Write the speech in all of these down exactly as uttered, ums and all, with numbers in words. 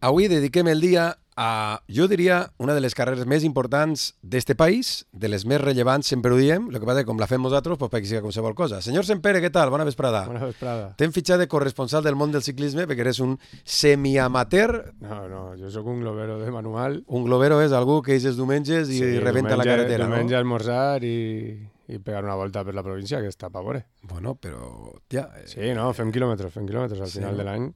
Avui dediquem el dia a, jo diria, una de les carreres més importants d'este país, de les més rellevants, sempre ho diem, el que passa que com la fem nosaltres, pues perquè sigui qualsevol cosa. Senyor Sempere, què tal? Bona vesprada. Bona vesprada. T'hem fitxat de corresponsal del món del ciclisme perquè eres un semiamateur. No, no, jo sóc un globero de manual. Un globero és algú que eixes diumenges i sí, rebenta diumenge, la carretera, diumenge no? almorzar i, i pegar una volta per la província, que està pa veure. Bueno, però... Ja, eh, Sí, no, fem quilòmetres, fem quilòmetres al sí, final no? de l'any.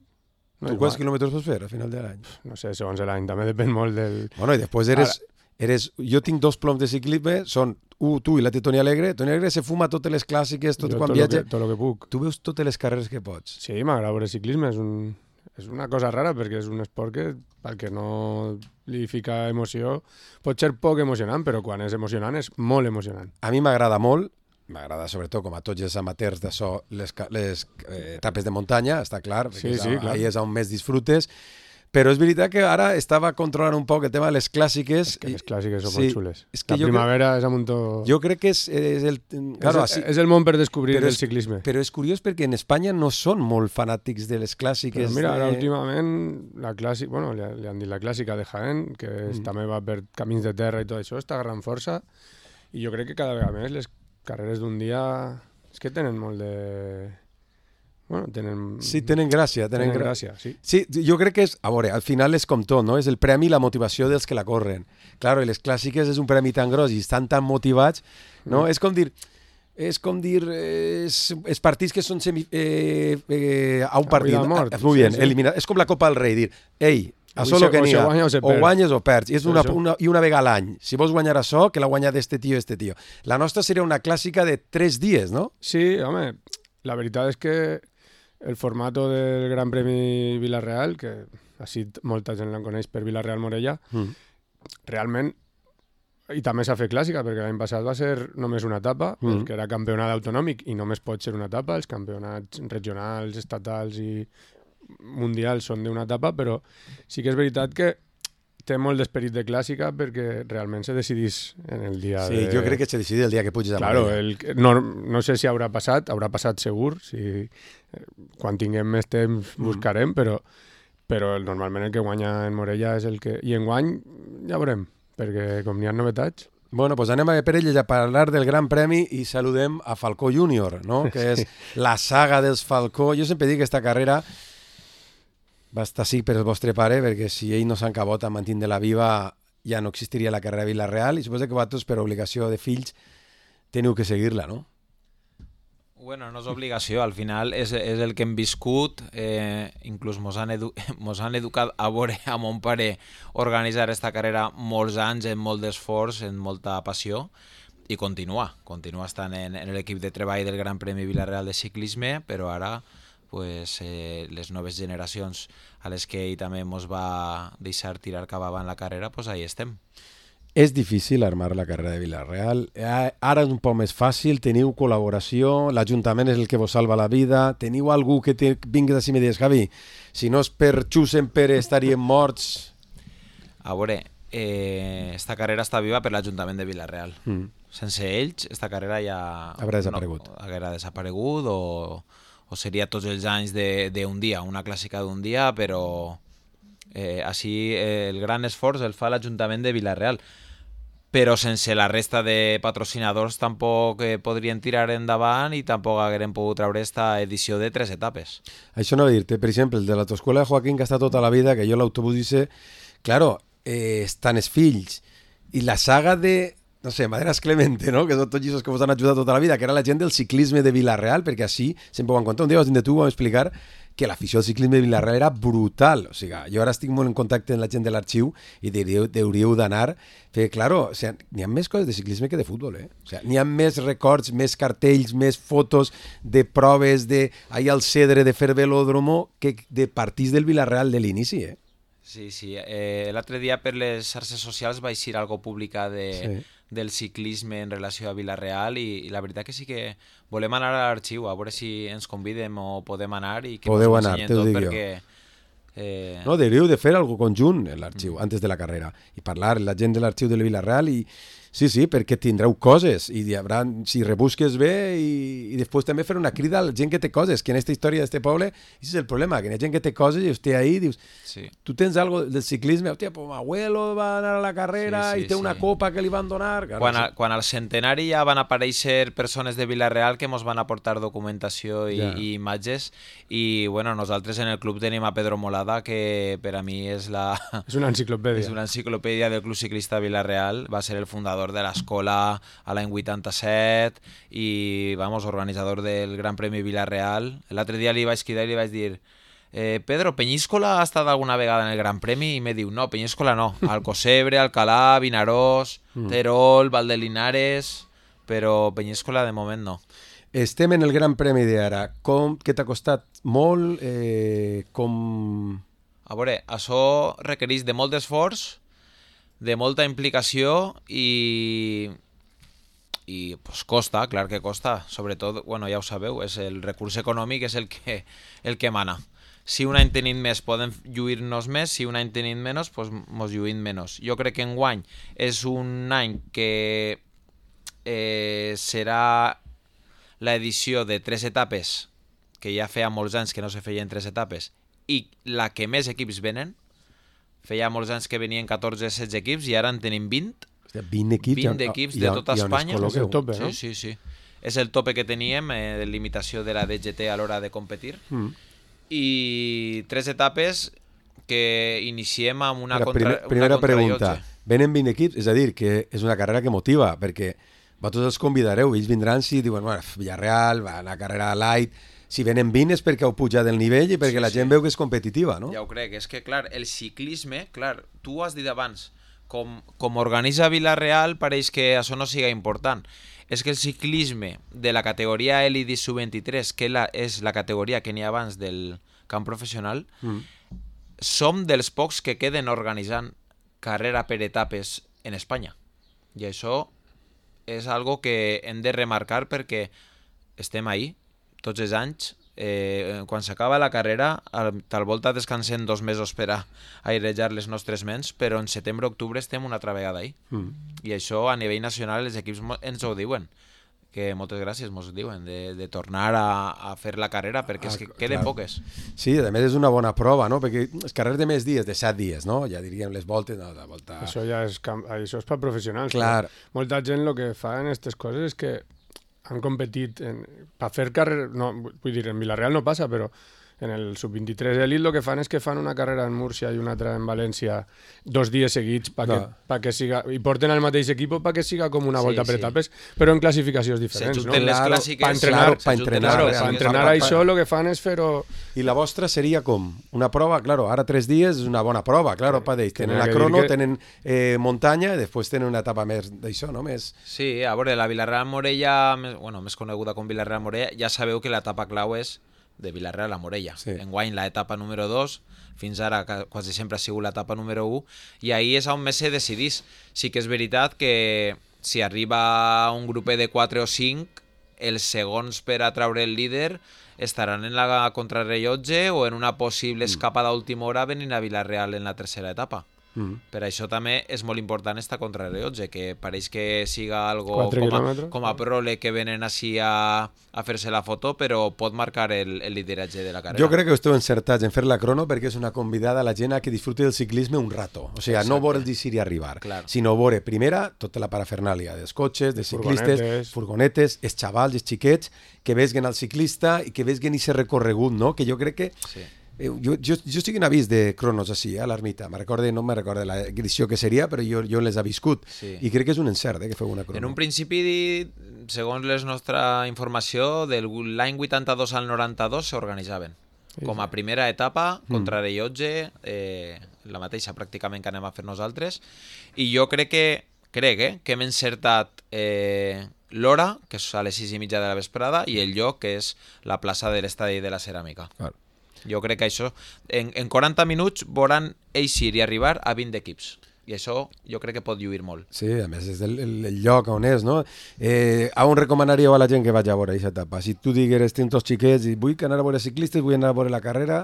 No, tu quants quilòmetres pots fer a final de l'any? No sé, segons l'any, també depèn molt del... Bueno, i després eres... eres jo tinc dos ploms de ciclisme, són u, tu i la Toni Alegre. Toni Alegre se fuma totes les clàssiques, tot jo quan tot viatja. Lo que, tot el que puc. Tu veus totes les carreres que pots. Sí, m'agrada veure ciclisme, és, un, és una cosa rara perquè és un esport que, pel que no li fica emoció, pot ser poc emocionant, però quan és emocionant és molt emocionant. A mi m'agrada molt, m'agrada sobretot com a tots els amateurs d'això, les, les eh, etapes de muntanya, està clar, perquè Sí, és, sí, a, clar. ahí és on més disfrutes, però és veritat que ara estava controlant un poc el tema de les clàssiques. És que les clàssiques són sí, molt xules. és que La jo primavera és amb un to... Jo crec que és, és el... Claro, és, així, és el món per descobrir però el és- ciclisme. però és curiós perquè en Espanya no són molt fanàtics de les clàssiques. Però mira, ara de... últimament la clàssica, bueno, li, li han dit la clàssica de Jaén, que és, Mm. també va per camins de terra i tot això, està agarrant força, i jo crec que cada vegada més les carreres d'un dia és que tenen molt de... Bueno, tenen... Sí, tenen gràcia. Tenen, tenen gra... gràcia, sí. Sí, jo crec que és, a veure, al final és com tot, no? És el premi i la motivació dels que la corren. Claro, i les clàssiques és un premi tan gros i estan tan motivats, no? Mm. És com dir, és com dir, és, els partits que són semi, eh, eh, a un A partit. vida o mort, Ah, Muy bien, sí, sí. eliminar. És com la Copa del Rei, dir, ei, Avui això se- lo que o n'hi se ha, guanya o se o perd. guanyes o perds, i és Sí, una, això. una, i una vegada a l'any. Si vols guanyar això, que la guanya d'este tio, este tio. La nostra seria una clàssica de tres dies, no? Sí, home, la veritat és que el formato del Gran Premi Vila-real, que així molta gent la coneix per Vila-real-Morella, Mm. realment, i també s'ha fet clàssica, perquè l'any passat va ser només una etapa, Mm. perquè era campionat autonòmic i només pot ser una etapa, els campionats regionals, estatals i mundials són d'una etapa, però sí que és veritat que té molt d'esperit de clàssica perquè realment se decidís en el dia Sí, de... jo crec que se decide el dia que puges a Claro, Morella. el, no, no sé si haurà passat, haurà passat segur, si, eh, quan tinguem més temps buscarem, però, però el, normalment el que guanya en Morella és el que... I enguany ja veurem, perquè com n'hi ha novetats... Bueno, pues anem a per elles a parlar del Gran Premi i saludem a Falcó Júnior, no? Que és la saga dels Falcó. Jo sempre dic que aquesta carrera va estar sí per el vostre pare, perquè si ell no s'encabot a mantindre-la viva ja no existiria la carrera de Vila-real i suposo que vosaltres per obligació de fills teniu que seguir-la, no? Bueno, no és obligació, al final és, és el que hem viscut, eh, inclús mos han, edu mos han educat a veure a mon pare organitzar esta carrera molts anys, en molt d'esforç, en molta passió, i continua, continua estant en, en l'equip de treball del Gran Premi Vila-real de ciclisme, però ara pues, eh, les noves generacions a les que ell també mos va deixar tirar cap avant la carrera, pues ahí estem. És difícil armar la carrera de Vila-real. Eh, Ara és un poc més fàcil, teniu col·laboració, l'Ajuntament és el que vos salva la vida, teniu algú que te vingues així i me digues, Javi, si no és per Xusen Pere estaríem morts. A veure, eh, esta carrera està viva per l'Ajuntament de Vila-real. Mm. Sense ells, esta carrera ja... Haurà desaparegut. No, haguera desaparegut o, o seria tots els anys d'un dia, una clàssica d'un dia, però eh, així eh, el gran esforç el fa l'Ajuntament de Vila-real. Però sense la resta de patrocinadors tampoc eh, podrien tirar endavant i tampoc hagueren pogut treure esta edició de tres etapes. Això no va dir-te, per exemple, el de l'autoscola de Joaquín, que està tota la vida, que jo l'autobús dice, claro, eh, estan els fills, i la saga de, no sé, Maderas Clemente, no? Que són tots aquests que vos han ajudat tota la vida, que era la gent del ciclisme de Vila-real, perquè així sempre ho van contar. Un dia vas dir tu, vam explicar que l'afició al ciclisme de Vila-real era brutal. O sigui, jo ara estic molt en contacte amb la gent de l'arxiu i deuríeu, deuríeu d'anar, perquè, claro, o sigui, n'hi ha més coses de ciclisme que de futbol, eh? O sigui, n'hi ha més records, més cartells, més fotos de proves de ahir al Cedre de fer velòdromo que de partits del Vila-real de l'inici, eh? Sí, sí. Eh, L'altre dia per les xarxes socials va eixir algo publicat de, Sí. del ciclisme en relació a Vila-real i, i la veritat que sí que volem anar a l'arxiu, a veure si ens convidem o podem anar i que Podeu mos ho anar, ensenyen te ho tot dic jo. perquè... Eh, No, deuríeu de fer algo conjunt en l'arxiu, antes de la carrera, i parlar la gent de l'arxiu de Vila-real i Sí, sí, perquè tindreu coses i hi haurà, si rebusques bé i, i després també fer una crida a la gent que té coses, que en aquesta història d'este poble, aquest és el problema, que hi ha gent que té coses i hòstia, ahí dius, Sí. tu tens algo del ciclisme, hòstia, pues mi abuelo va anar a la carrera Sí, sí, i té sí. una copa que li van donar. Claro, Quan, sí. a, quan al centenari ja van aparèixer persones de Vila-real que mos van aportar documentació i, Ja. i imatges i bueno, nosaltres en el club tenim a Pedro Molada, que per a mi és la... És una enciclopèdia. És una enciclopèdia del Club Ciclista Vila-real, va ser el fundador de l'escola a l'any vuitanta-set i, vamos, organitzador del Gran Premi Vila-real. L'altre dia li vaig cridar i li vaig dir eh, Pedro, Peñíscola ha estat alguna vegada en el Gran Premi? I me diu, no, Peñíscola no. Alcocebre, Alcalá, Vinaròs, Terol, Valdelinares, però Peñíscola de moment no. Estem en el Gran Premi d'ara. Com, què t'ha costat molt? Eh, com... A veure, això requereix de molt d'esforç, de molta implicació i, i pues, costa, clar que costa. Sobretot, bueno, ja ho sabeu, és el recurs econòmic és el que, el que mana. Si un any tenim més podem lluir-nos més, si un any tenim menys, pues, mos lluïm menys. Jo crec que enguany és un any que eh, serà l'edició de tres etapes, que ja feia molts anys que no se feien tres etapes, i la que més equips venen. Feia molts anys que venien catorze setze equips i ara en tenim vint. Hòstia, vint equips, vint equips de tota Espanya. És el tope, no? Sí, sí, sí. És el tope que teníem eh, de limitació de la D G T a l'hora de competir. Mm. I tres etapes que iniciem amb una, Ara, contra, primer, una primera pregunta. contrarellotge. Venen vint equips? És a dir, que és una carrera que motiva, perquè vosaltres els convidareu, ells vindran si diuen, bueno, Villarreal, va, una carrera light. Si venen vint és perquè heu pujat el nivell i perquè Sí, la gent sí. veu que és competitiva, no? Ja ho crec, és que clar, el ciclisme, clar, tu ho has dit abans, com, com organitza Vila-real pareix que això no siga important. És que el ciclisme de la categoria Elite sub vint-i-tres, que la, és la categoria que n'hi ha abans del camp professional, Mm. som dels pocs que queden organitzant carrera per etapes en Espanya. I això és algo que hem de remarcar perquè estem ahí tots els anys. Eh, quan s'acaba la carrera, al, tal volta descansem dos mesos per a airejar les nostres ments, però en setembre-octubre estem una altra vegada ahí. Mm. I això a nivell nacional els equips mo- ens ho diuen, que moltes gràcies mos diuen de, de tornar a, a fer la carrera perquè és que Ah, queden clar. poques. Sí, a més és una bona prova, no? Perquè les carreres de més dies, de set dies, no? Ja diríem les voltes, no, la volta... Això ja és, camp... això és per professionals. Clar. però Molta gent el que fa en aquestes coses és que han competit en... per fer carrera... No, vull dir, en Vila-real no passa, però en el sub vint-i-tres Elite el que fan és que fan una carrera en Múrcia i una altra en València dos dies seguits perquè, No. perquè siga... i porten el mateix equip perquè siga com una Sí, volta per sí. etapes, però en classificacions diferents, no? S'ajunten les Claro, clàssiques. pa entrenar- Claro, pa s'ajunten entrenar, les Claro, realment. per clàssiques. entrenar pa- pa- això el que fan és fer-ho... I la vostra seria com? Una prova, claro, ara tres dies és una bona prova, claro, pa d'ells. que Tenen n'hi ha la que dir crono, que- tenen eh, muntanya i després tenen una etapa més d'això, no? Més... Sí, a veure, la Vila-real Morella, més- bueno, més coneguda com Vila-real Morella, ja sabeu que l'etapa clau és de Vila-real a Morella. Sí. Enguany l'etapa número dos, fins ara ca- quasi sempre ha sigut l'etapa número u, i ahir és on més se decidís. Sí que és veritat que si arriba un grupet de quatre o cinc, els segons per a traure el líder estaran en la contrarrellotge o en una possible escapada a última hora venint a Vila-real en la tercera etapa. Mm. Per això també és molt important esta contrarrellotge, que pareix que siga algo Quatre com a, quilòmetres. com a prole que venen així a, a fer-se la foto, però pot marcar el, el lideratge de la carrera. Jo crec que esteu encertats en fer la crono perquè és una convidada a la gent a que disfruti del ciclisme un rato. O sigui, no Exacte. veure el dir i arribar, Clar. sinó veure, primera, tota la parafernàlia dels cotxes, dels ciclistes, Furgonetes. furgonetes, els xavals, els xiquets, que vesguen el ciclista i que vesguen aquest recorregut, no? Que jo crec que... Sí. Eh, jo, jo, jo estic en avís de cronos així, a l'ermita. Me recorde, no me recorde la edició que seria, però jo, jo les he viscut. Sí. I crec que és un encert, eh, que feu una crono. En un principi, segons la nostra informació, de l'any vuitanta-dos al noranta-dos s'organitzaven. Sí, Com a primera etapa, contrarrellotge, eh, la mateixa pràcticament que anem a fer nosaltres. I jo crec que, crec, eh, que hem encertat eh, l'hora, que és a les sis i mitja de la vesprada, i el lloc, que és la plaça de l'Estadi de la Ceràmica. Clar. Jo crec que això, en, en quaranta minuts veuran eixir i arribar a vint equips. I això jo crec que pot lluir molt. Sí, a més és el, el, el lloc on és, no? Eh, a on recomanaríeu a la gent que vagi a veure aquesta etapa? Si tu digueres, tinc tots xiquets i vull anar a veure ciclistes, vull anar a veure la carrera...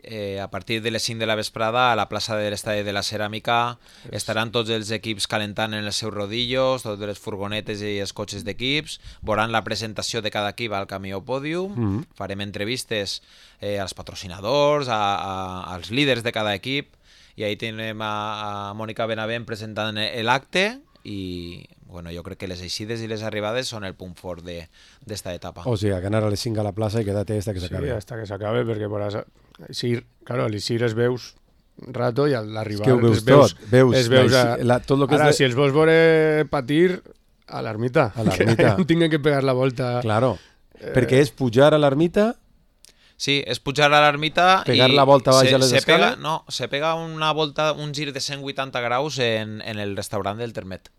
eh, a partir de les cinc de la vesprada a la plaça de l'Estadi de la Ceràmica estaran tots els equips calentant en els seus rodillos, totes les furgonetes i els cotxes d'equips, veuran la presentació de cada equip al camió pòdium, mm-hmm. farem entrevistes eh, als patrocinadors, a, a, als líders de cada equip, i ahí tenim a, a Mònica Benavent presentant l'acte, i bueno, jo crec que les eixides i les arribades són el punt fort d'esta etapa. O sigui, que anar a les cinc a la plaça i quedar-te hasta que s'acabe. Sí, hasta que s'acabe, perquè podràs... Sí, claro, a l'eixir es veus rato i a l'arribar es, es veus, tot, veus, es veus a... la, tot lo que Ara, és de... si els vols veure patir, a l'ermita. A l'ermita. Que no tinguin que pegar la volta. Claro, eh... perquè és pujar a l'ermita... Sí, és pujar a l'ermita pegar i la volta baix se, a les se escales. Pega, no, se pega una volta, un gir de cent vuitanta graus en, en el restaurant del Termet.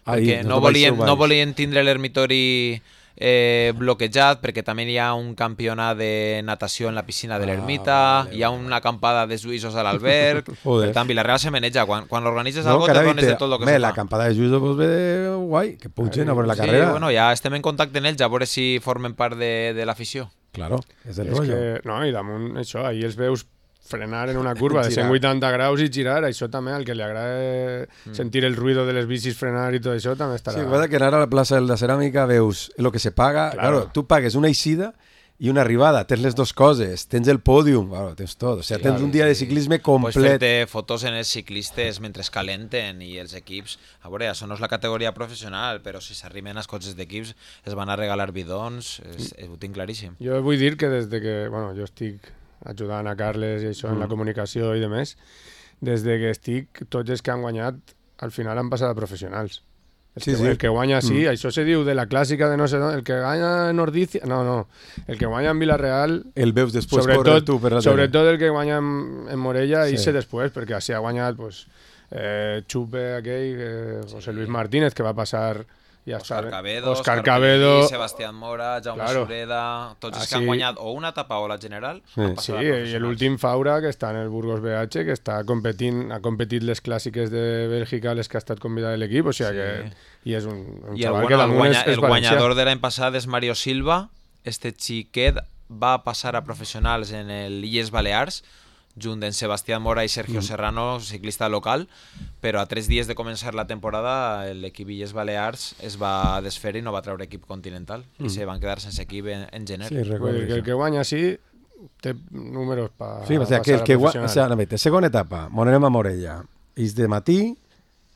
Ai, perquè no, volien, no volien tindre l'ermitori eh, bloquejat, perquè també hi ha un campionat de natació en la piscina de l'ermita, ah, vale, hi ha una acampada de suïssos a l'alberg. Per tant, Vilareal se meneja. Quan, quan l'organitzes no, algo te dones de tot el que me, se fa. L'acampada de suïssos pues, ve guai, que pugen a veure la sí, carrera. Bueno, ja estem en contacte amb ells, a veure si formen part de, de l'afició. Claro, és el és rotllo. Que, no, i damunt això, ahir els veus frenar en una curva de cent vuitanta graus i girar, això també, al que li agrada mm. sentir el ruido de les bicis frenar i tot això, també estarà... Sí, el que anar a la plaça de la Ceràmica veus el que se paga, claro, claro tu pagues una eixida i una arribada, tens les dues coses, tens el pòdium, claro, tens tot, o sigui, sí, tens claro, un dia sí. de ciclisme complet. Pots fer-te fotos en els ciclistes mentre es calenten i els equips, a veure, això no és la categoria professional, però si s'arriben als cotxes d'equips es van a regalar bidons, és, ho tinc claríssim. Jo vull dir que des de que, bueno, jo estic ajudant a Carles i això mm. en la comunicació i demés, des de que estic, tots els que han guanyat al final han passat a professionals. El, sí, que, sí. el que guanya, sí, mm. això se diu de la clàssica de no sé d'on, el que guanya en Ordizia, no, no, el que guanya en Vilareal... El veus després córrer tu per la tele. Sobretot el que guanya en, en Morella sí. i sé després, perquè així ha guanyat pues, eh, Xupe aquell, eh, José Luis Martínez, que va passar... Ja Òscar està, Cabedo, Òscar Òscar Cabedo, Pellegrí, Sebastián Mora, Jaume claro. Sureda, tots els ah, que han guanyat o una etapa o la general. Sí, sí i l'últim Faura, que està en el Burgos B H, que està competint, ha competit les clàssiques de Bèlgica, les que ha estat convidat de l'equip, o sigui sí. que... I és un, un I el, xaval bueno, que damunt el, guanya, és, és el guanyador de l'any passat és Mario Silva, este xiquet va passar a professionals en el Illes Balears, junt d'en Sebastián Mora i Sergio mm. Serrano, ciclista local, però a tres dies de començar la temporada l'equip Illes Balears es va desfer i no va treure equip continental mm. i se van quedar sense equip en, en gener. Sí, recordo que el que guanya sí té números per sí, o sea, que el que guanya, o sea, no, segona etapa, monem a Morella, és de matí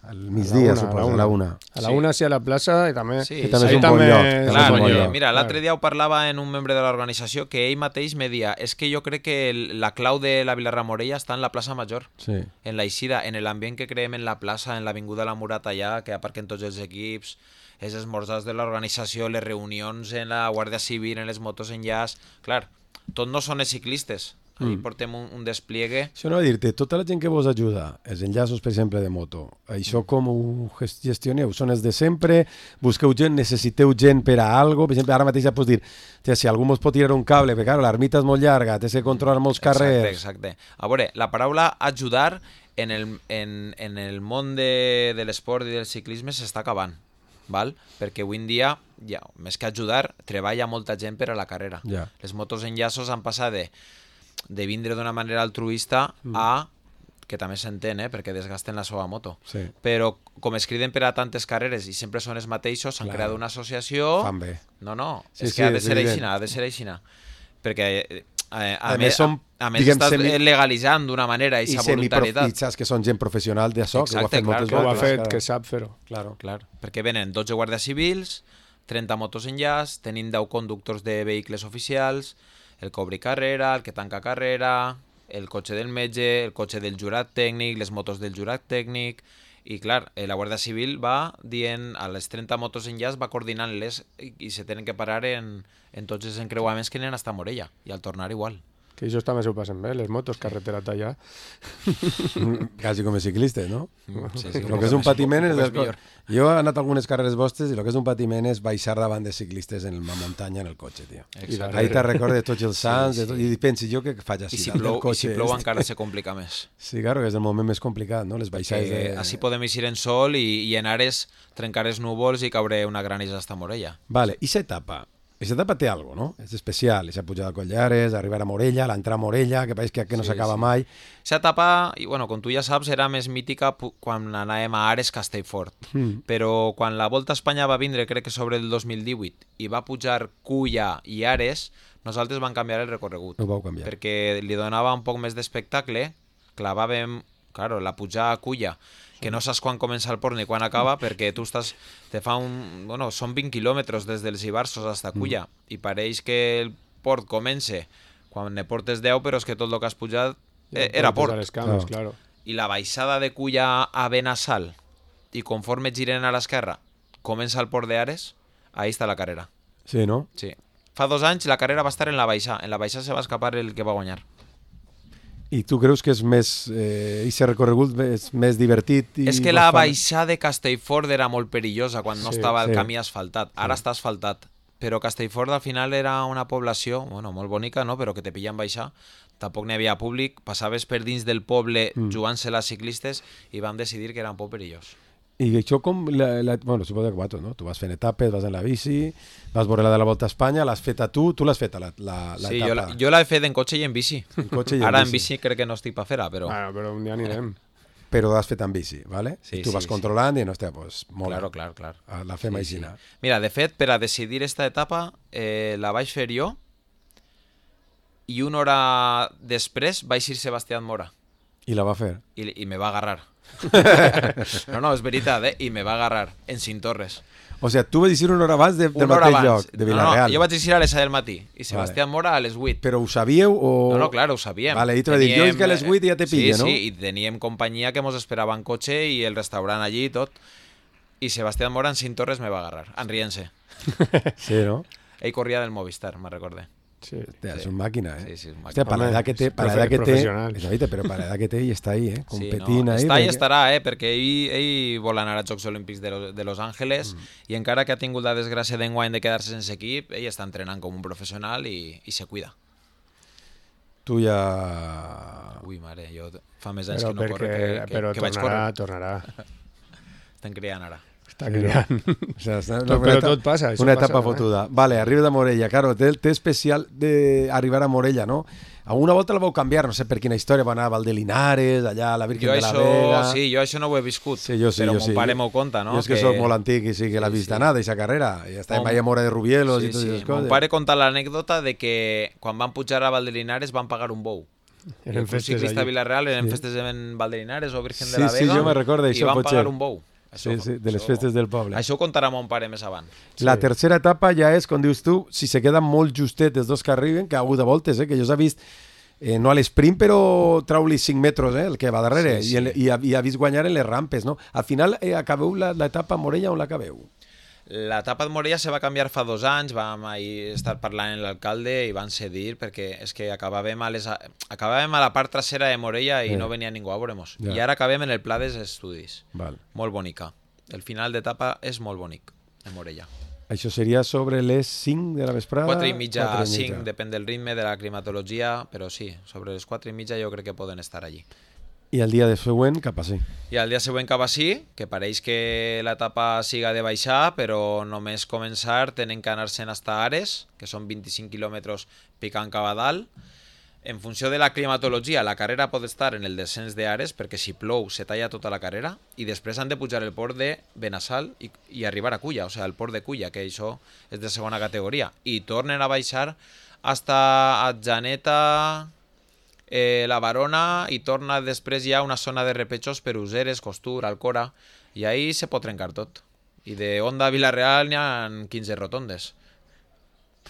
al migdia, suposo, a la una. A la una sí a la plaça i també... Sí, que també és un bon lloc. Clar, bon lloc. Mira, l'altre dia ho parlava en un membre de l'organització que ell mateix me dia, és que jo crec que la clau de la Vilarra Morella està en la plaça Major, sí. en la eixida, en l'ambient que creem en la plaça, en l'avinguda La Murata allà, que aparquen tots els equips, els esmorzars de l'organització, les reunions en la Guàrdia Civil, en les motos en llaç... Clar, tot no són els ciclistes. Ahí mm. portem un, un despliegue. Això no va dir-te, tota la gent que vos ajuda, els enllaços, per exemple, de moto, això com ho gestioneu? Són els de sempre? Busqueu gent? Necessiteu gent per a algo? Per exemple, ara mateix ja pots dir, si algú mos pot tirar un cable, perquè clar, l'ermita és molt llarga, té que controlar molts carrers... Exacte, exacte. A veure, la paraula ajudar en el, en, en el món de, de l'esport i del ciclisme s'està acabant. Val? Perquè avui en dia, ja, més que ajudar, treballa molta gent per a la carrera. Ja. Les motos enllaços han passat de de vindre d'una manera altruista mm. a, que també s'entén, eh, perquè desgasten la seva moto. Sí. Però com es criden per a tantes carreres i sempre són els mateixos, s'han creat una associació... Fan bé. No, no, sí, és sí, que ha de ser aixina, ha de ser aixina. Perquè eh, a, a, a més, som, a, a més diguem, estàs semi... legalitzant d'una manera aquesta voluntarietat. I saps que són gent professional d'això, que ho ha fet clar, moltes clar, ho ha voltes. fet, que sap fer-ho. Claro. Clar, perquè venen dotze guàrdies civils, trenta motos en llaç, tenim deu conductors de vehicles oficials, el que obri carrera, el que tanca carrera, el cotxe del metge, el cotxe del jurat tècnic, les motos del jurat tècnic, i clar, la Guàrdia Civil va dient a les trenta motos en llaç, va coordinant-les i, i se tenen que parar en, en tots els encreuaments que anen hasta Morella, i al tornar igual. Que ells també s'ho passen bé, les motos, carretera tallà. Quasi com els ciclistes, no? Sí, sí, el que és un patiment és... és jo he anat a algunes carreres vostres i el que és un patiment és baixar davant de ciclistes en la muntanya en el cotxe, tio. Ahí te recordes tots els sants sí, sí. i pensi jo que faig així. I si plou, i si plou este. Encara se complica més. Sí, claro, que és el moment més complicat, no? Les baixades de... Així podem eixir en sol i, i en ares trencar els núvols i caure una granissa hasta Morella. Vale, i s'etapa. Aquesta etapa té alguna cosa, no? És especial, aquesta pujada a Collares, arribar a Morella, l'entrar a Morella, que pareix que, que no s'acaba sí. mai. Aquesta etapa, i bueno, com tu ja saps, era més mítica quan anàvem a Ares Castellfort. Mm. Però quan la Volta a Espanya va vindre, crec que sobre el dos mil divuit, i va pujar Culla i Ares, nosaltres vam canviar el recorregut. No ho vau canviar. Perquè li donava un poc més d'espectacle, clavàvem, claro, la pujada a Culla, que no saps quan comença el port ni quan acaba, perquè tu estàs, te fa un, bueno, són vint quilòmetres des dels Ibarsos fins a Culla, mm. i pareix que el port comença quan ne portes deu, però és que tot el que has pujat eh, era port. Les cames, claro. I la baixada de Culla a Benassal, i conforme giren a l'esquerra, comença el port d'Ares, ahí està la carrera. Sí, no? Sí. Fa dos anys la carrera va estar en la baixa, en la baixa se va escapar el que va guanyar. I tu creus que és més, eh, i recorregut és més divertit? I és que la baixada de Castellfort era molt perillosa quan no sí, estava el sí. camí asfaltat. Ara sí. està asfaltat. Però Castellfort al final era una població, bueno, molt bonica, no? Però que te pillen baixar. Tampoc n'hi havia públic. Passaves per dins del poble mm. jugant-se les ciclistes i vam decidir que era un poc perillós. I això com... La, la, bueno, suposo que tu, no? Tu vas fent etapes, vas en la bici, vas veure la de la Volta a Espanya, l'has fet a tu, tu l'has fet a la, la, la sí, etapa. Jo, la, jo l'he fet en cotxe i en bici. En cotxe i en Ara bici. en bici crec que no estic per fer-la, però... Bueno, però un dia anirem. Però l'has fet en bici, ¿vale? Sí, I tu sí, vas sí. controlant i no, hòstia, pues, mola. Claro, clar, clar. La fem sí, així. Sí. Mira, de fet, per a decidir esta etapa eh, la vaig fer jo i una hora després vaig ir Sebastián Mora. I la va fer. I, i me va agarrar. no, no, és veritat, eh? I me va agarrar en Cintorres. O sigui, tu vas dir una hora abans de, del una mateix abans. lloc, de Villarreal. No, no, jo vaig dir a les set del matí i Sebastián vale. Mora a les vuit. Però ho sabíeu o...? No, no, clar, ho sabíem. Vale, i tu vas dir, jo és que a les vuit ja te pilla, sí, no? Sí, sí, i teníem companyia que mos esperava en cotxe i el restaurant allí i tot. I Sebastián Mora en Cintorres me va agarrar, en rient-se. Sí, no? Ell corria del Movistar, me recordé. Sí, Hostia, sí. Es un máquina, ¿eh? Sí, sí, es un Hostia, para la edad que té, para la edad que té, és però per la edad que té i està ahí, eh? Competint sí, no, ahí. Està i perquè... estarà, eh? Perquè ell, ell vol anar als Jocs Olímpics de, lo, de Los Ángeles mm. i encara que ha tingut la desgràcia d'enguany de quedar-se sense equip, ell està entrenant com un professional i, i se cuida. Tu ja... Ui, mare, jo fa més anys però que no perquè, corre que, que, però que vaig tornarà, córrer. tornarà. Estem criant ara. Està criant. O sea, no, no, però tot passa. Una etapa passa, fotuda. Eh? Vale, arriba de Morella. Claro, té, té especial d'arribar a Morella, no? A una volta la vau canviar, no sé per quina història, va anar a Valdelinares, allà a la Virgen jo de la això, Vega... Sí, jo això no ho he viscut, sí, jo sí, però jo mon sí. pare m'ho conta, no? Jo és que, que soc molt antic i sí que l'ha vist sí. anar, d'aquesta carrera. I està en Valla Mora de Rubielos sí, i totes sí. aquestes coses. Mon pare conta l'anècdota de que quan van pujar a Valdelinares van pagar un bou. Eren festes ciclista allí. a Villarreal, eren sí. festes en Valdelinares o Virgen sí, de la Vega. Sí, jo me recordo això, i van pagar un bou. Això, sí, sí, de les això, festes del poble. Això ho contarà mon pare més avant. La sí. tercera etapa ja és, com dius tu, si se queden molt justet els dos que arriben, que ha hagut de voltes, eh, que jo s'ha vist, eh, no a l'esprint, però trau-li cinc metres, eh, el que va darrere, sí, sí. I, el, i, ha, i ha vist guanyar en les rampes, no? Al final, eh, acabeu l'etapa a Morella on l'acabeu? L'etapa de Morella se va canviar fa dos anys, vam ahir estar parlant amb l'alcalde i van cedir perquè és que acabàvem a, les, acabàvem a la part trasera de Morella i eh. no venia ningú a veure-mos. Ja. I ara acabem en el pla dels estudis. Val. Molt bonica. El final d'etapa és molt bonic, de Morella. Això seria sobre les cinc de la vesprada? quatre i mitja a cinc, depèn del ritme, de la climatologia, però sí, sobre les quatre i mitja jo crec que poden estar allí. I el dia de següent cap a sí. I el dia següent cap a sí, que pareix que l'etapa siga de baixar, però només començar tenen que anar-se'n hasta Ares, que són vint-i-cinc quilòmetres picant cap a dalt. En funció de la climatologia, la carrera pot estar en el descens d'Ares, perquè si plou se talla tota la carrera, i després han de pujar el port de Benassal i, i arribar a Culla, o sigui, el port de Culla, que això és de segona categoria. I tornen a baixar hasta Atjaneta... Eh, la Barona i torna després ja a una zona de repechos per Useres, Costur, Alcora i ahí se pot trencar tot. I de Onda a Villarreal n'hi ha quinze rotondes.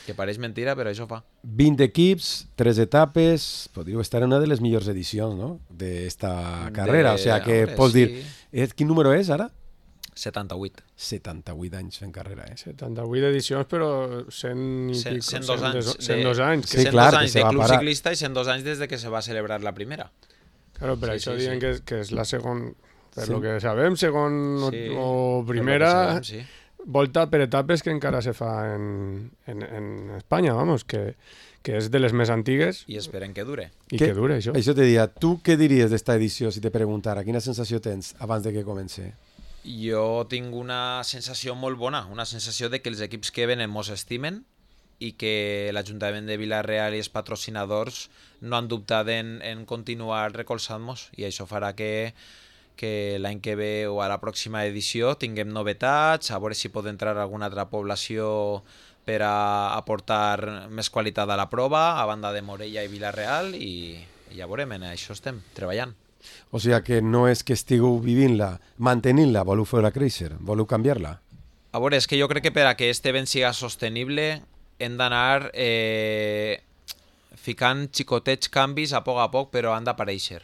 Que pareix mentira, però això fa. vint equips, tres etapes, podríeu estar en una de les millors edicions, no?, d'esta carrera. De... O sigui que Home, pots sí. dir... Eh, quin número és ara? setanta-vuit. setanta-vuit anys fent carrera, eh? setanta-vuit edicions, però cent i cent, pico, cent dos anys. cent dos anys. Sí, cent clar, dos que anys se de va club parar. ciclista i cent dos anys des de que se va celebrar la primera. Claro, per Sí, això sí, diuen sí. que, que és la segon, per Sí. lo que sabem, segon o- Sí, o per lo que primera sabem, sí. volta per etapes que encara se fa en, en, en Espanya, vamos, que, que és de les més antigues I esperem que dure. i que, que dure això. Això te diria, tu què diries d'esta edició si te preguntara? Quina sensació tens abans de que comenci? Jo tinc una sensació molt bona, una sensació de que els equips que venen mos estimen, i que l'Ajuntament de Vila-real i els patrocinadors no han dubtat en, en continuar recolzant-nos, i això farà que, que l'any que ve o a la pròxima edició tinguem novetats, a veure si pot entrar alguna altra població per a aportar més qualitat a la prova, a banda de Morella i Vila-real, i, i ja veurem, en això estem treballant. O sigui que no és que estigueu vivint-la, mantenint-la, voleu fer-la créixer, voleu canviar-la? A veure, és que jo crec que per a que este event siga sostenible hem d'anar eh, ficant xicotets canvis a poc a poc, però han d'aparèixer.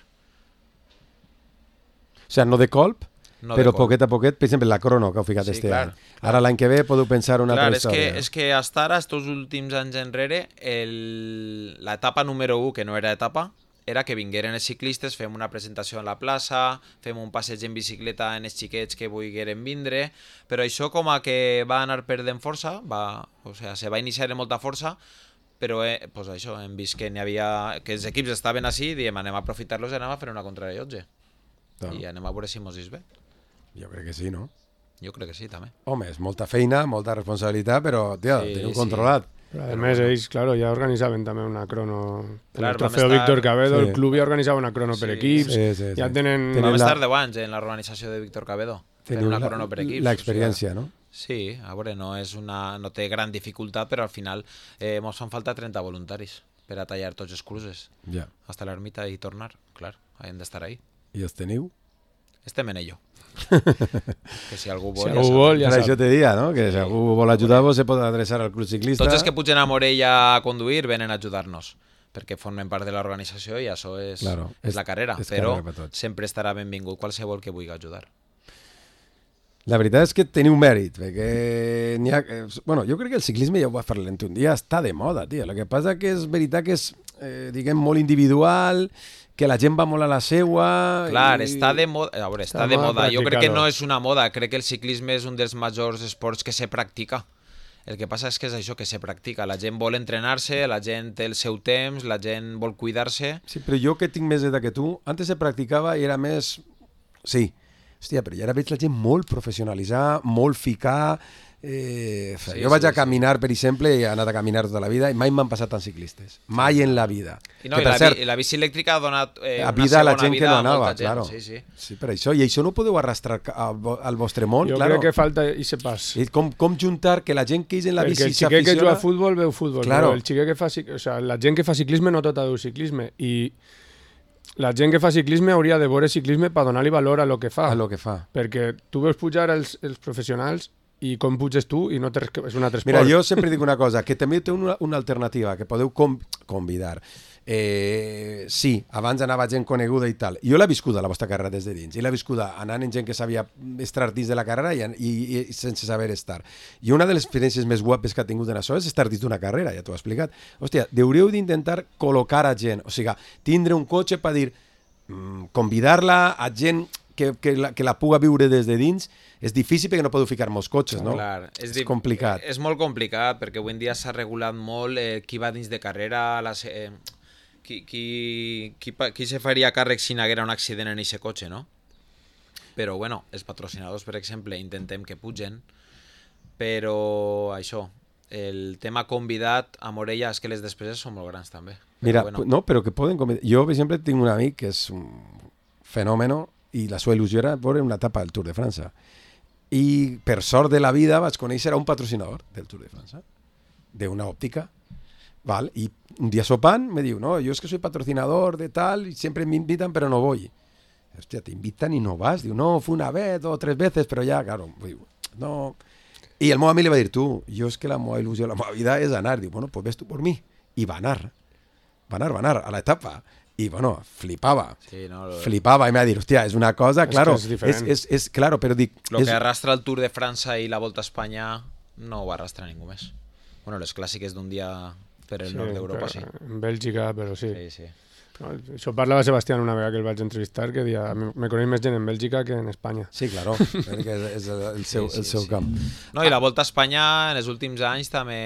O sigui, no de colp, No però de colp. poquet a poquet, per exemple, la crono que heu ficat Sí, este clar, any. clar. Ara l'any que ve podeu pensar una Clar, altra és que, història. és que hasta ara, estos últims anys enrere, el, l'etapa número u, que no era etapa, era que vingueren els ciclistes, fem una presentació en la plaça, fem un passeig en bicicleta en els xiquets que volgueren vindre, però això com a que va anar perdent força, va, o sea, se va iniciar amb molta força, però eh, pues això, hem vist que n'hi havia, que els equips estaven així, diem, anem a aprofitar-los i anem a fer una contrarellotge. No. I anem a veure si mos és bé. Jo crec que sí, no? Jo crec que sí, també. Home, és molta feina, molta responsabilitat, però, tia, Sí, teniu sí. controlat. Però a més, ells, claro, ja organitzaven també una crono. Clar, el vam trofeu estar- Víctor Cabedo, Sí. el club ja organitzava una crono per Sí. equips. Sí, sí, sí. Ja tenen... Tenen Vam la- estar deu anys en l'organització de Víctor Cabedo. Fent Teniu una la- crono per equips. l'experiència, o sigui, no? Sí, a veure, no, és una, no té gran dificultat, però al final eh, mos fan falta trenta voluntaris per a tallar tots els cruces, Ja. hasta l'ermita i tornar. Clar, hem d'estar ahí. I els teniu? Estem en ello. Que si algú vol, Si ja algú sap. vol, ja Per això sap. te dia, no? Que si algú vol ajudar-vos se pot adreçar al club ciclista. Tots els que pugen a Morella a conduir venen a ajudar-nos, perquè formen part de l'organització i això és, Claro, és és- la carrera, és però carrera per tots. sempre estarà benvingut qualsevol que vulgui ajudar. La veritat és que teniu mèrit, perquè n'hi ha... eh, Bueno, jo crec que el ciclisme, ja ho va fer l'ent un dia, està de moda, tio. El que passa que és veritat que és, eh, diguem, molt individual, que la gent va molt a la seua... Clar, i... està de moda, a veure, està Està de moda moda. Jo crec que practicar-ho. no és una moda, crec que el ciclisme és un dels majors esports que se practica. El que passa és que és això, que se practica. La gent vol entrenar-se, la gent té el seu temps, la gent vol cuidar-se. Sí, però jo que tinc més edat que tu, antes se practicava i era més... Sí, hòstia, però ja ara veig la gent molt professionalitzar, molt ficar... Eh, Sí, sí, jo vaig sí, a caminar, per exemple, i he anat a caminar tota la vida i mai m'han passat tants ciclistes. Mai en la vida. I, no, que, i, per la, cert, bi- i la bici elèctrica ha donat eh, a una vida a la segona gent que vida no a anava, molta gent. claro. Sí, sí. Sí, per això. I això no podeu arrastrar al, vo- al vostre món, Jo claro. crec que falta i se pas. I com, com juntar que la gent que és en la Perquè bici el xiquet que juga s'aficiona... a futbol veu futbol, Claro. però el xiquet que fa... cic- O sea, la gent que fa ciclisme no tota veu ciclisme. I la gent que fa ciclisme hauria de veure ciclisme per donar-li valor a lo que fa. a lo que fa. Perquè tu veus pujar els, els professionals i com puges tu i no té res que... És un altre esport. Mira, jo sempre dic una cosa, que també té una, una alternativa, que podeu com, convidar. Eh, sí, abans anava gent coneguda i tal. Jo l'he viscuda, la vostra carrera, des de dins. I l'he viscuda anant en gent que sabia estar dins de la carrera i, i, i sense saber estar. I una de les experiències més guapes que ha tingut en això és estar dins d'una carrera, ja t'ho he explicat. Hòstia, hauríeu d'intentar col·locar a gent, o sigui, tindre un cotxe per dir, mm, convidar-la a gent que, que, la, que la puga viure des de dins. És difícil perquè no podeu ficar molts cotxes, no? Clar, és, di- complicat. És molt complicat perquè avui en dia s'ha regulat molt eh, qui va dins de carrera, les, eh, qui, qui, qui, pa- qui se faria càrrec si n'haguera un accident en aquest cotxe, no? Però, bueno, els patrocinadors, per exemple, intentem que pugen, però això, el tema convidat a Morella és que les despeses són molt grans també. Mira, Però, bueno, no, però que poden convidar. Jo, per exemple, tinc un amic que és un fenòmeno i la seva il·lusió era veure una etapa del Tour de França. I per sort de la vida vaig conèixer a un patrocinador del Tour de França, d'una òptica, val? I un dia sopant me diu, no, yo es que soy patrocinador de tal y siempre me invitan pero no voy. Hostia, te invitan y no vas. Diu, no, fue una vez o tres veces, pero ya, claro, diu, no... I el meu amic li va dir, tu, jo és que la meva il·lusió, la meva vida és anar. Diu, bueno, pues ves tu por mi. I va anar. Va anar, va anar a l'etapa. I, bueno, flipava. sí, no, lo, Flipava i m'ha dit, hòstia, és una cosa, És claro, que és diferent. és, és, és, claro, però dic... lo és, que arrastra el Tour de França i la Volta a Espanya no ho arrastra ningú més. Bueno, les clàssiques d'un dia per el Sí, nord d'Europa, però sí. En Bèlgica, però sí. Sí, sí. No, això parlava Sebastián una vegada que el vaig entrevistar, que dia, me coneix més gent en Bèlgica que en Espanya. Sí, claro, perquè és, és el seu, Sí, sí, el seu sí. camp. No, i la Volta a Espanya en els últims anys també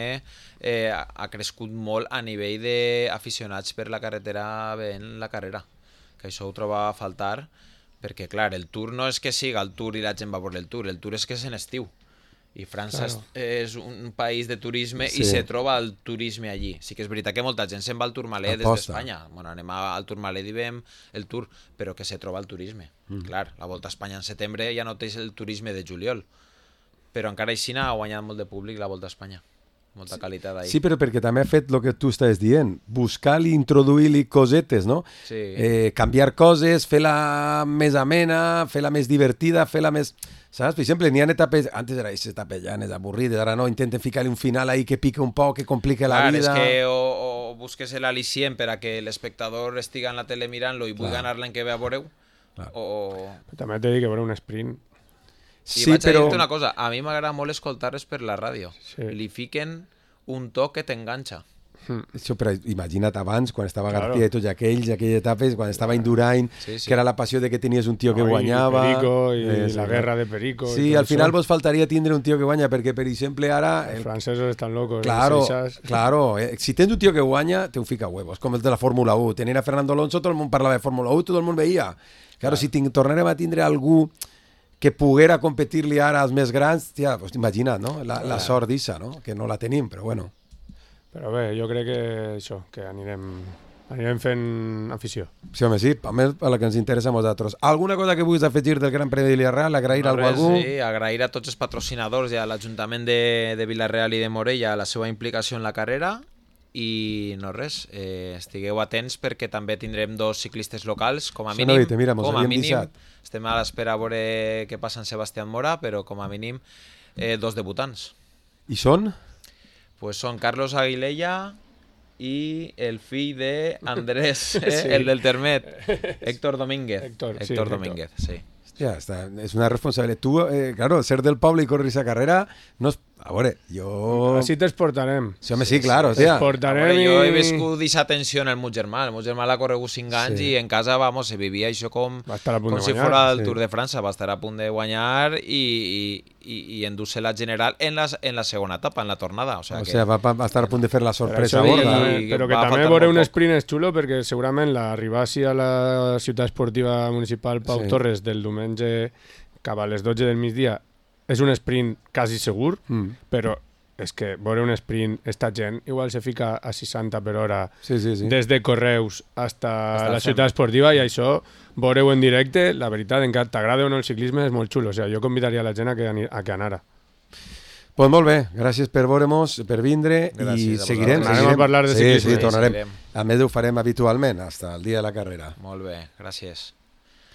eh, ha crescut molt a nivell d'aficionats per la carretera veient la carrera, que això ho troba a faltar, perquè clar, el Tour no és que siga el Tour i la gent va per el Tour, el Tour és que és en estiu, I França Claro. és un país de turisme Sí. i se troba el turisme allí. Sí que és veritat que molta gent se'n va al Tourmalet des Aposta. d'Espanya. Bueno, anem al Tourmalet i veiem el Tour, però que se troba el turisme. Mm. Clar, la Volta a Espanya en setembre ja no té el turisme de juliol, però encara així ha guanyat molt de públic la Volta a Espanya. Molta qualitat ahí. Sí, però perquè també ha fet el que tu estàs dient, buscar-li, introduir-li cosetes, no? Sí. Eh, canviar coses, fer-la més amena, fer-la més divertida, fer-la més... Saps? Per exemple, n'hi ha etapes... Antes era aquestes etapes llanes, avorrides, ara no, intenten ficar-li un final ahí que pique un poc, que complique la Clar, vida... és que o, o busques l'al·licient per a que l'espectador estiga en la tele mirant-lo i vulgui anar l'any que ve a veureu, Clar. o... També t'he dit que veure un sprint. I Sí, vaig a però... dir-te una cosa, a mi m'agrada molt escoltar-les per la ràdio. Sí. Li fiquen un to que t'enganxa. Això, però imagina't abans, quan estava Claro. García i tots aquells, aquelles etapes, quan estava Indurain, Sí, sí. que era la passió de que tenies un tio que No, i guanyava... Perico, i Eh, sí, la clar. guerra de Perico. i Sí, tot al final això. vos faltaria tindre un tio que guanya, perquè, per exemple, ara... Els El... francesos estan locos. Claro, els eixas. claro. Eh, si tens un tio que guanya, te ho fica a huevos, com el de la Fórmula u. Tenien a Fernando Alonso, tot el món parlava de Fórmula u, tot el món veia. Claro, si ting, tornarem a tindre algú que poguera competir-li ara als més grans, tia, pues, imagina't, no? La, la sort d'issa, no? Que no la tenim, però bueno. Però bé, jo crec que això, que anirem, anirem fent afició. Sí, home, sí, a més a la que ens interessa a nosaltres. Alguna cosa que vulguis afegir del Gran Premi de Villarreal? Agrair No, a algú? sí, agrair a tots els patrocinadors i a l'Ajuntament de, de Vilareal i de Morella la seva implicació en la carrera i no res, eh, estigueu atents perquè també tindrem dos ciclistes locals, com a Això mínim, no ho he dit, mira, mos com a havíem mínim, deixat. estem a l'espera a veure què passa en Sebastián Mora, però com a mínim eh, dos debutants. I són? Pues són Carlos Aguilella i el fill de Andrés, eh, Sí. el del Termet, Héctor Domínguez. Héctor, sí, Héctor Héctor. Domínguez, sí. Hòstia, està, és una responsabilitat. Tu, eh, claro, ser del poble i córrer aquesta carrera, no és... A veure, jo... Així t'exportarem. Sí, home, sí, claro, hòstia. T'exportarem Veure, jo he i... viscut d'aquesta tensió en el meu germà. El meu germà l'ha corregut cinc anys Sí. i en casa, vamos, se vivia això com, Va estar a punt com de si guanyar, fos el sí. Tour de França. Va estar a punt de guanyar i, i, i, i endur-se la general en la, en la segona etapa, en la tornada. O sea, O que... sigui, va, va estar a punt de fer la Però, sorpresa això dic que gorda. també, I però que va també faltar veure molt un poc. sprint és xulo perquè segurament l'arribar sí a la ciutat esportiva municipal Pau Sí. Torres del diumenge cap a les dotze del migdia és un sprint quasi segur, Mm. però és que veure un sprint, esta gent igual se fica a seixanta per hora Sí, sí, sí. des de Correus hasta Hasta la el ciutat esportiva i això, veure-ho en directe, la veritat, encara t'agrada o no el ciclisme, és molt xulo. O sigui, jo convidaria la gent a que, ani- a que anara. Pues molt bé, gràcies per veure-mos, per vindre Gràcies i a seguirem. vosaltres. Tornarem seguirem. a parlar de sí, ciclisme. Sí, tornarem. Seguirem. A més ho farem habitualment, fins el dia de la carrera. Molt bé, gràcies.